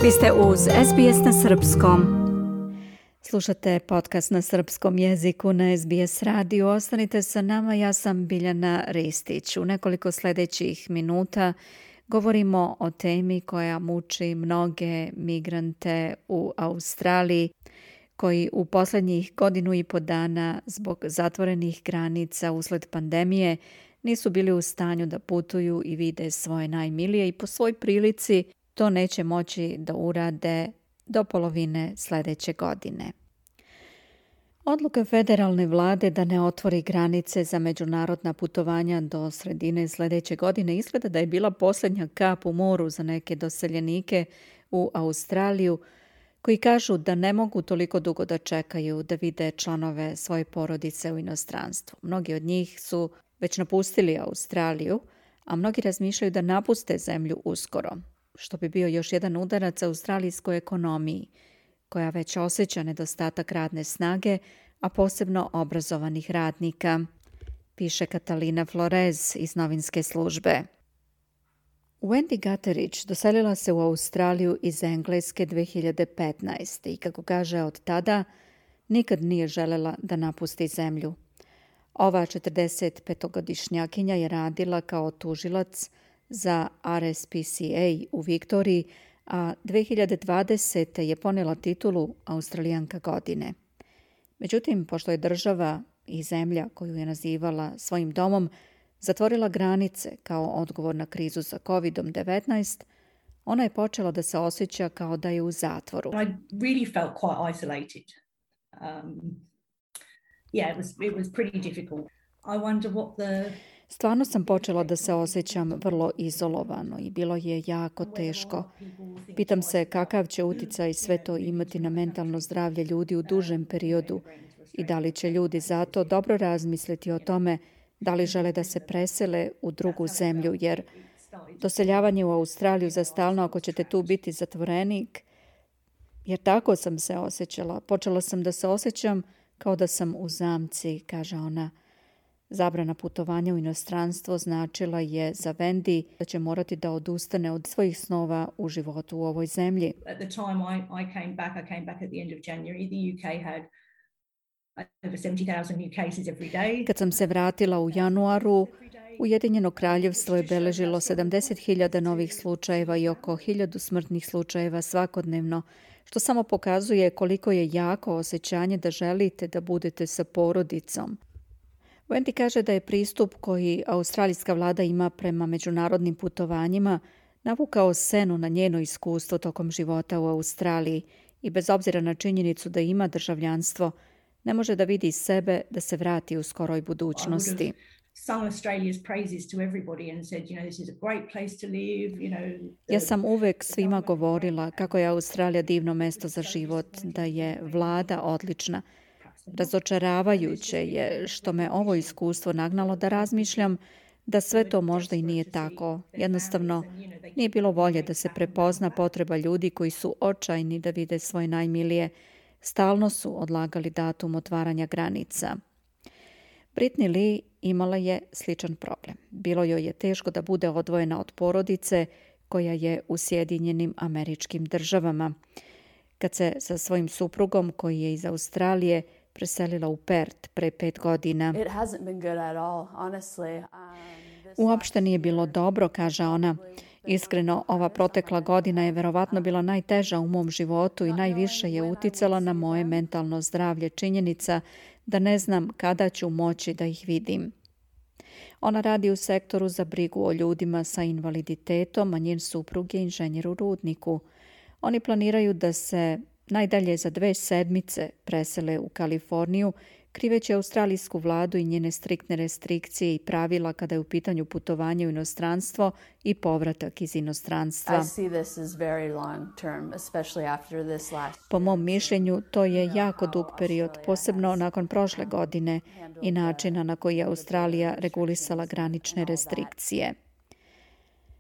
Vi ste uz SBS na srpskom. Slušate podcast na srpskom jeziku na SBS radiju. Ostanite sa nama, ja sam Biljana Ristić. U nekoliko sljedećih minuta govorimo o temi koja muči mnoge migrante u Australiji, koji u posljednjih 1.5 dana zbog zatvorenih granica usled pandemije nisu bili u stanju da putuju i vide svoje najmilije i po svoj prilici to neće moći da urade do polovine sljedeće godine. Odluka federalne vlade da ne otvori granice za međunarodna putovanja do sredine sljedeće godine izgleda da je bila posljednja kap u moru za neke doseljenike u Australiju, koji kažu da ne mogu toliko dugo da čekaju da vide članove svoje porodice u inostranstvu. Mnogi od njih su već napustili Australiju, a mnogi razmišljaju da napuste zemlju uskoro, što bi bio još jedan udarac australijskoj ekonomiji, koja već osjeća nedostatak radne snage, a posebno obrazovanih radnika, piše Katalina Flores iz novinske službe. Wendy Gutteridge doselila se u Australiju iz Engleske 2015. i kako kaže od tada, nikad nije željela da napusti zemlju. Ova 45-godišnjakinja je radila kao tužilac za RSPCA u Viktoriji, a 2020. je ponijela titulu Australijanka godine. Međutim, pošto je država i zemlja koju je nazivala svojim domom zatvorila granice kao odgovor na krizu sa COVID-19, ona je počela da se osjeća kao da je u zatvoru. I really felt quite isolated. It was pretty difficult. I wonder what the... Stvarno sam počela da se osjećam vrlo izolovano i bilo je jako teško. Pitam se kakav će utjecaj sve to imati na mentalno zdravlje ljudi u dužem periodu i da li će ljudi zato dobro razmisliti o tome da li žele da se presele u drugu zemlju, jer doseljavanje u Australiju za stalno ako ćete tu biti zatvorenik, jer tako sam se osjećala. Počela sam da se osjećam kao da sam u zamci, kaže ona. Zabrana putovanja u inostranstvo značila je za Wendy da će morati da odustane od svojih snova u životu u ovoj zemlji. At the time I came back at the end of January. The UK had over 70,000 new cases every day. Kad sam se vratila u januaru, Ujedinjeno kraljevstvo je beležilo 70.000 novih slučajeva i oko 1.000 smrtnih slučajeva svakodnevno, što samo pokazuje koliko je jako osjećanje da želite da budete sa porodicom. Wendy kaže da je pristup koji australijska vlada ima prema međunarodnim putovanjima navukao senu na njeno iskustvo tokom života u Australiji i bez obzira na činjenicu da ima državljanstvo, ne može da vidi sebe da se vrati u skoroj budućnosti. Ja sam uvek svima govorila kako je Australija divno mesto za život, da je vlada odlična. Razočaravajuće je što me ovo iskustvo nagnalo da razmišljam da sve to možda i nije tako. Jednostavno, nije bilo volje da se prepozna potreba ljudi koji su očajni da vide svoje najmilije. Stalno su odlagali datum otvaranja granica. Britney Lee imala je sličan problem. Bilo joj je teško da bude odvojena od porodice koja je u Sjedinjenim Američkim Državama. Kad se sa svojim suprugom, koji je iz Australije, preselila u Perth pre 5 godina. Uopšte nije bilo dobro, kaže ona. Iskreno, ova protekla godina je verovatno bila najteža u mom životu i najviše je uticala na moje mentalno zdravlje činjenica da ne znam kada ću moći da ih vidim. Ona radi u sektoru za brigu o ljudima sa invaliditetom, a njen suprug je inženjer u rudniku. Oni planiraju da se najdalje za 2 sedmice presele u Kaliforniju, kriveći australijsku vladu i njene striktne restrikcije i pravila kada je u pitanju putovanje u inostranstvo i povratak iz inostranstva. Po mom mišljenju, to je jako dug period, posebno nakon prošle godine i načina na koji je Australija regulisala granične restrikcije.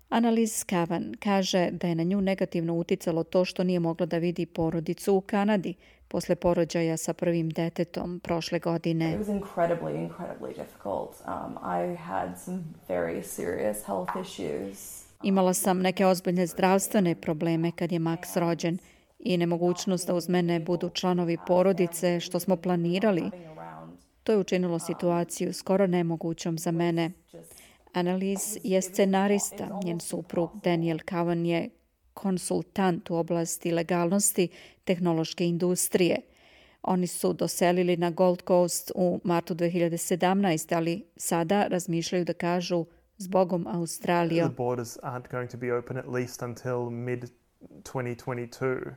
Annalise Cavan kaže da je na nju negativno uticalo to što nije mogla da vidi porodicu u Kanadi posle porođaja sa prvim detetom prošle godine. It was incredibly difficult. I had some very serious health issues. Imala sam neke ozbiljne zdravstvene probleme kad je Max rođen i nemogućnost da uz mene budu članovi porodice, što smo planirali. To je učinilo situaciju skoro nemogućom za mene. Annalise je scenarista, njen suprug Daniel Cowan je konsultant u oblasti legalnosti tehnološke industrije. Oni su doselili na Gold Coast u martu 2017, ali sada razmišljaju da kažu zbogom Australija. The borders aren't going to be open at least until mid 2022.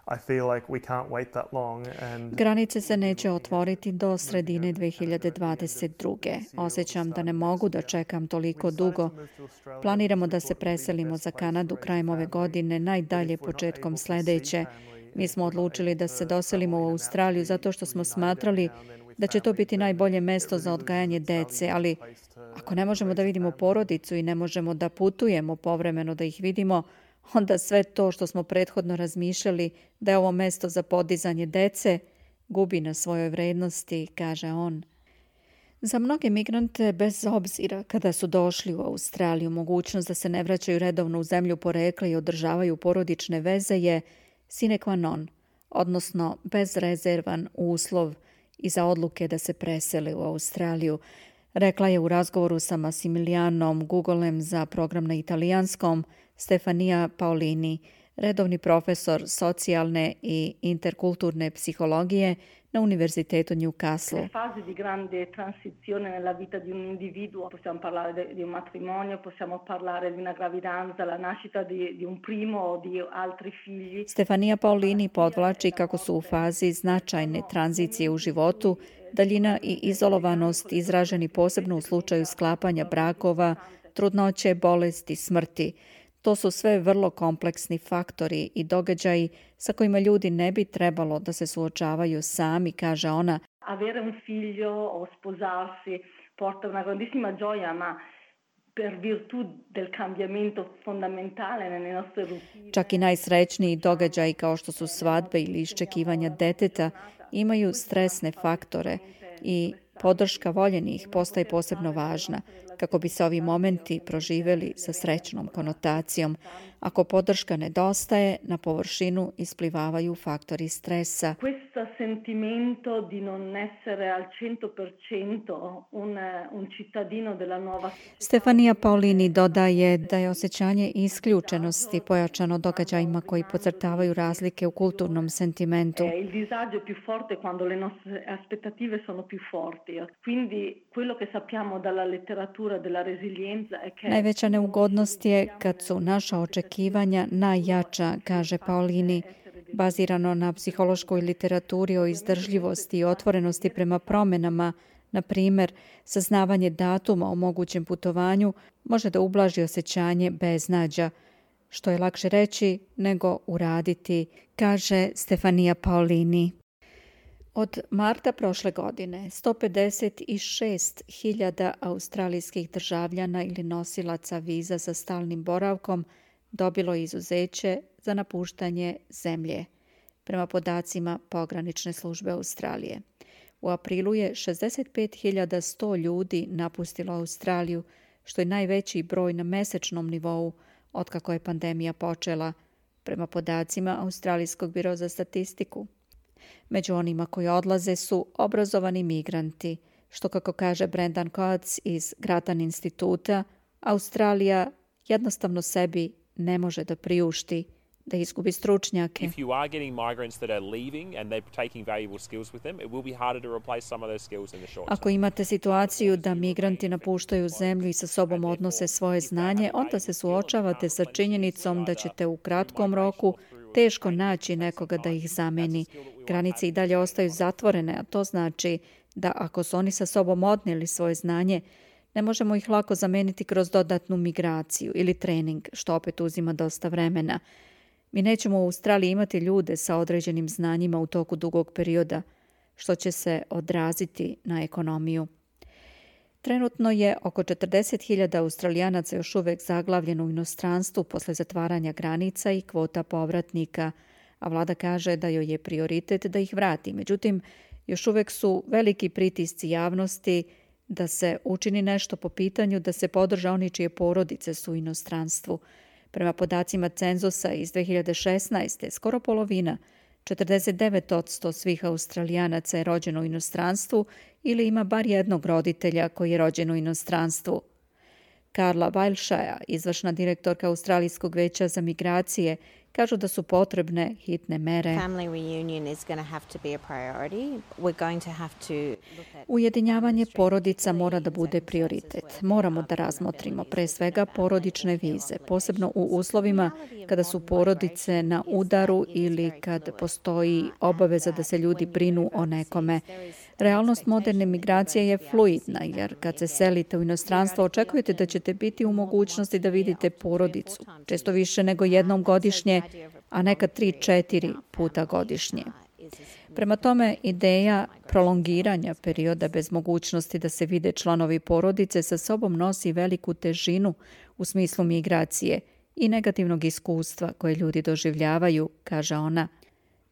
I feel like we can't wait that long and Granice se neće otvoriti do sredine 2022. Osjećam da ne mogu da čekam toliko dugo. Planiramo da se preselimo za Kanadu krajem ove godine, najdalje početkom sledeće. Mi smo odlučili da se doselimo u Australiju zato što smo smatrali da će to biti najbolje mesto za odgajanje dece, ali ako ne možemo da vidimo porodicu i ne možemo da putujemo povremeno da ih vidimo, onda sve to što smo prethodno razmišljali da je ovo mesto za podizanje dece gubi na svojoj vrednosti, kaže on. Za mnoge migrante, bez obzira kada su došli u Australiju, mogućnost da se ne vraćaju redovno u zemlju porekla i održavaju porodične veze je sine qua non, odnosno bezrezervan uslov iza odluke da se presele u Australiju, rekla je u razgovoru sa Massimilianom Gugolem za program na italijanskom Stefania Paolini, redovni profesor socijalne i interkulturne psihologije na Univerzitetu Newcastle. Le fasi di grande transizione nella vita di un individuo, possiamo parlare di un matrimonio, possiamo parlare di una gravidanza, la nascita di un primo o di altri figli. Stefania Paolini podvlači kako su u fazi značajne tranzicije u životu, daljina i izolovanost izraženi posebno u slučaju sklapanja brakova, trudnoće, bolesti, smrti. To su sve vrlo kompleksni faktori i događaji sa kojima ljudi ne bi trebalo da se suočavaju sami, kaže ona. Avere un figlio o sposarsi porta una grandissima gioia, ma per virtù del cambiamento fondamentale nelle nostre routine. Čak i najsrećniji događaji kao što su svadbe ili iščekivanja deteta imaju stresne faktore i podrška voljenih postaje posebno važna kako bi se ovi momenti proživeli sa srećnom konotacijom. Ako podrška nedostaje, na površinu isplivavaju faktori stresa. Questo sentimento di non essere al 100% un cittadino della nuova. Stefania Paolini dodaje da je osjećanje isključenosti pojačano događajima koji podcrtavaju razlike u kulturnom sentimentu. Il disagio è più forte quando le nostre aspettative sono più forti. Quindi quello che sappiamo dalla letteratura della resilienza è che Najveća neugodnost je kad su naša očekivanja najjača, kaže Paolini, bazirano na psihološkoj literaturi o izdržljivosti i otvorenosti prema promjenama. Na primjer, saznavanje datuma o mogućem putovanju može da ublaži osjećanje beznađa, što je lakše reći nego uraditi, kaže Stefania Paolini. Od marta prošle godine 156.000 australijskih državljana ili nosilaca viza sa stalnim boravkom dobilo izuzeće za napuštanje zemlje, prema podacima pogranične službe Australije. U aprilu je 65.100 ljudi napustilo Australiju, što je najveći broj na mesečnom nivou otkako je pandemija počela, prema podacima Australijskog biro za statistiku. Među onima koji odlaze su obrazovani migranti, što, kako kaže Brendan Coates iz Grattan instituta, Australija jednostavno sebi ne može da priušti da izgubi stručnjake. If you are getting migrants that are leaving and they're taking valuable skills with them, it will be harder to replace some of those skills in the short term. Ako imate situaciju da migranti napuštaju zemlju i sa sobom odnose svoje znanje, onda se suočavate sa činjenicom da ćete u kratkom roku teško naći nekoga da ih zameni. Granice i dalje ostaju zatvorene, a to znači da ako su oni sa sobom odnijeli svoje znanje, ne možemo ih lako zameniti kroz dodatnu migraciju ili trening, što opet uzima dosta vremena. Mi nećemo u Australiji imati ljude sa određenim znanjima u toku dugog perioda, što će se odraziti na ekonomiju. Trenutno je oko 40.000 Australijanaca još uvek zaglavljeno u inostranstvu posle zatvaranja granica i kvota povratnika, a vlada kaže da joj je prioritet da ih vrati. Međutim, još uvek su veliki pritisci javnosti da se učini nešto po pitanju da se podrže oni čije porodice su u inostranstvu. Prema podacima cenzusa iz 2016. skoro polovina, 49% svih Australijanaca je rođeno u inostranstvu ili ima bar jednog roditelja koji je rođen u inostranstvu. Carla Wilshire, izvršna direktorka Australijskog veća za migracije, kažu da su potrebne hitne mere. Ujedinjavanje porodica mora da bude prioritet. Moramo da razmotrimo pre svega porodične vize, posebno u uslovima kada su porodice na udaru ili kad postoji obaveza da se ljudi brinu o nekome. Realnost moderne migracije je fluidna, jer kad se selite u inostranstvo očekujete da ćete biti u mogućnosti da vidite porodicu, često više nego jednom godišnje, a nekad 3-4 puta godišnje. Prema tome, ideja prolongiranja perioda bez mogućnosti da se vide članovi porodice sa sobom nosi veliku težinu u smislu migracije i negativnog iskustva koje ljudi doživljavaju, kaže ona.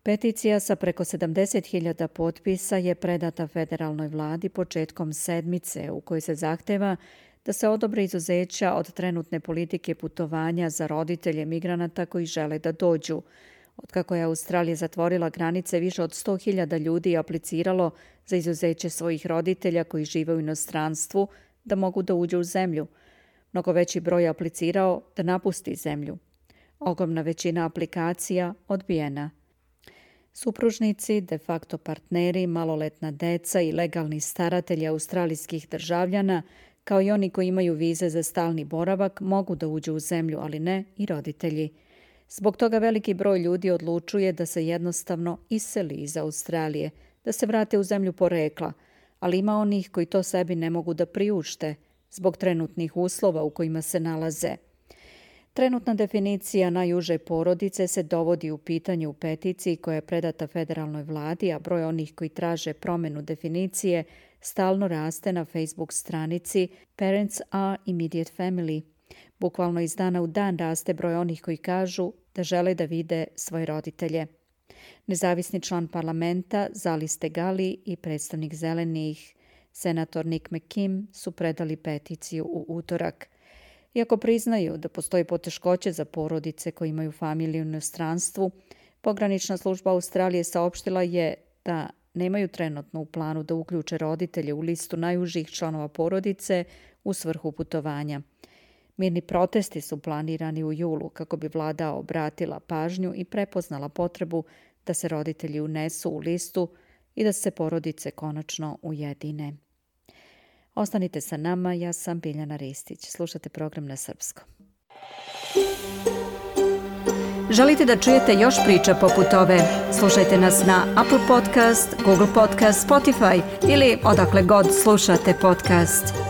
Peticija sa preko 70.000 potpisa je predata federalnoj vladi početkom sedmice u kojoj se zahteva da se odobre izuzeća od trenutne politike putovanja za roditelje migranata koji žele da dođu. Otkako je Australija zatvorila granice, više od 100.000 ljudi je apliciralo za izuzeće svojih roditelja koji žive u inostranstvu da mogu da uđu u zemlju. Mnogo veći broj je aplicirao da napusti zemlju. Ogromna većina aplikacija odbijena. Supružnici, de facto partneri, maloletna deca i legalni staratelji australijskih državljana, kao i oni koji imaju vize za stalni boravak, mogu da uđu u zemlju, ali ne i roditelji. Zbog toga veliki broj ljudi odlučuje da se jednostavno iseli iz Australije, da se vrate u zemlju porekla, ali ima onih koji to sebi ne mogu da priušte zbog trenutnih uslova u kojima se nalaze. Trenutna definicija najuže porodice se dovodi u pitanje u peticiji koja je predata federalnoj vladi, a broj onih koji traže promjenu definicije stalno raste na Facebook stranici Parents are Immediate Family. Bukvalno iz dana u dan raste broj onih koji kažu da žele da vide svoje roditelje. Nezavisni član parlamenta Zalis Tegali i predstavnik zelenih, senator Nick McKim, su predali peticiju u utorak. Iako priznaju da postoji poteškoće za porodice koji imaju familiju u inostranstvu, pogranična služba Australije saopštila je da nemaju trenutno u planu da uključe roditelje u listu najužih članova porodice u svrhu putovanja. Mirni protesti su planirani u julu kako bi vlada obratila pažnju i prepoznala potrebu da se roditelji unesu u listu i da se porodice konačno ujedine. Ostanite sa nama, ja sam Biljana Ristić. Slušate program na srpskom. Želite da čujete još priča poput ove? Slušajte nas na Apple Podcast, Google Podcast, Spotify ili odakle god slušate podcast.